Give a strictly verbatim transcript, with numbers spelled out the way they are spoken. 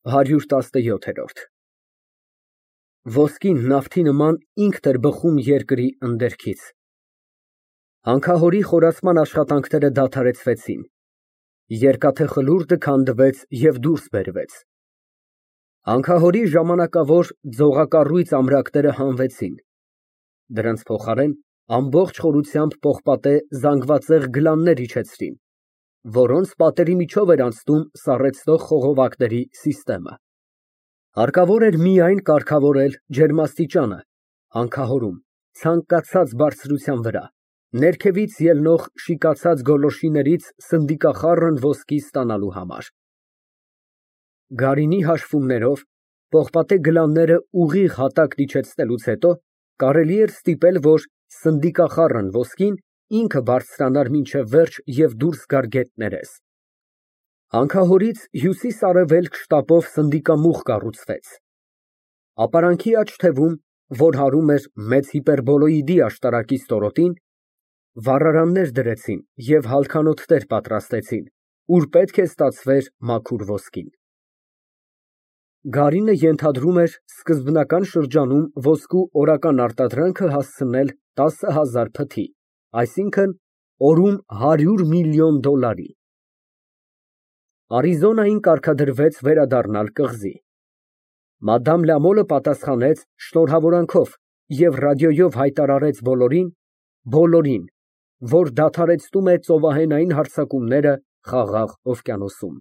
ՀԱՐՅՈՒՐ ՏԱՍՆՅՈԹԵՐՈՐԴ Ոսկին նավթի նման ինքն էր բխում երկրի ընդերքից։ Հանքահորի խորացման աշխատանքները դադարեցվեցին, երկաթե խլուրդը քանդվեց և դուրս բերվեց։ Հանքահորի ժամանակավոր ձողակառույց ամրակները հանվեցին, դրանց փոխարեն ամբողջ խորությամբ պողպատե զանգվածեղ գլաններ իջեցրին, որոնց պատերի միջով էր անցնում սառեցնող խողովակների սիստեմը։ Հարկավոր էր միայն կարգավորել ջերմաստիճանը հանքահորում ցանկացած բարձրության վրա, ներքևից ելնող շիկացած գոլորշիներից սնդիկախառն ոսկի ստանալու համար։ Գարինի հաշվումներով պողպատե գլանները ուղիղ հատակն իջեցնելուց հետո կարելի էր ստիպել, որ սնդիկախառն ոսկին ինքը բարձրանար մինչև վերջ և դուրս գար գետներես։ Հանքահորից հյուսիս֊արևելք շտապով սնդիկամուղ կառուցվեց։ Ապարանքի աջ թևում, որ հարում էր մեծ հիպերբոլոիդի աշտարակի ստորոտին, վառարաններ դրեցին և հալքանոթներ պատրաստեցին, ուր պետք է ստացվեր մաքուր ոսկին։ Գարինը ենթադրում էր սկզբնական շրջանում ոսկու օրական արտադրանքը հասցնել տասը հազար փթի, այսինքն՝ օրում հարյուր միլիոն դոլարի։ Արիզոնային կարգադրվեց վերադառնալ կղզի։ Մադամ Լամոլը պատասխանեց շնորհավորանքով և ռադիոյով հայտարարեց բոլորին, բոլորին, որ դադարեցնում է ծովահենային հարձակումները Խաղաղ օվկիանոսում։